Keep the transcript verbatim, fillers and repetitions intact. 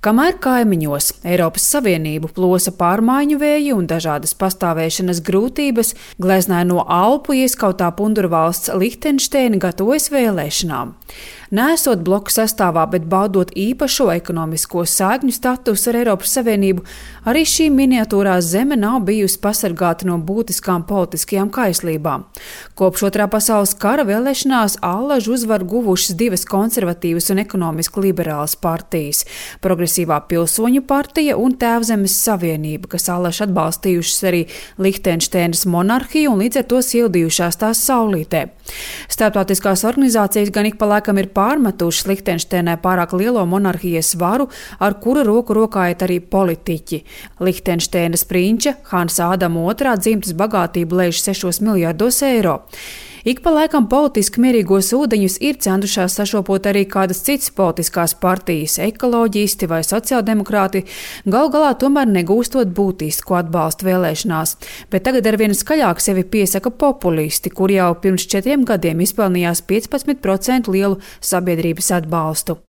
Kamēr kaimiņos Eiropas Savienību plosa pārmaiņu vēji un dažādas pastāvēšanas grūtības, gleznāja no Alpu ieskautā pundura valsts Lihtenšteina gatavojas vēlēšanām. Neesot bloku sastāvā, bet baudot īpašo ekonomisko sēgņu statusu ar Eiropas Savienību, arī šī miniatūrā zeme nav bijusi pasargāta no būtiskām politiskajām kaislībām. Kopš Otrā pasaules kara vēlēšanās allažu uzvaru guvušas divas konservatīvas un ekonomiski liberālas partijas – Progresīvā pilsoņu partija un Tēvzemes savienība, kas allaž atbalstījušas arī Lihtenšteinas monarhiju un līdz ar to sildījušās tās saulītē. Starptautiskās organizācijas gan ik pa laikam ir pārmetušas Lihtenšteinai pārāk lielo monarhijas varu, ar kuru roku rokā iet arī politiķi. Lihtenšteinas prinča Hansa Ādama otrā dzimtas bagātība lēš sešos miljardos eiro. Ik pa laikam politiski mierīgos ūdeņus ir centušās sašopot arī kādas citas politiskās partijas, ekoloģisti vai sociāldemokrāti, gal galā tomēr negūstot būtisku atbalstu vēlēšanās. Bet tagad arvien skaļāk sevi piesaka populisti, kur jau pirms četriem gadiem izpelnījās piecpadsmit procentu lielu sabiedrības atbalstu.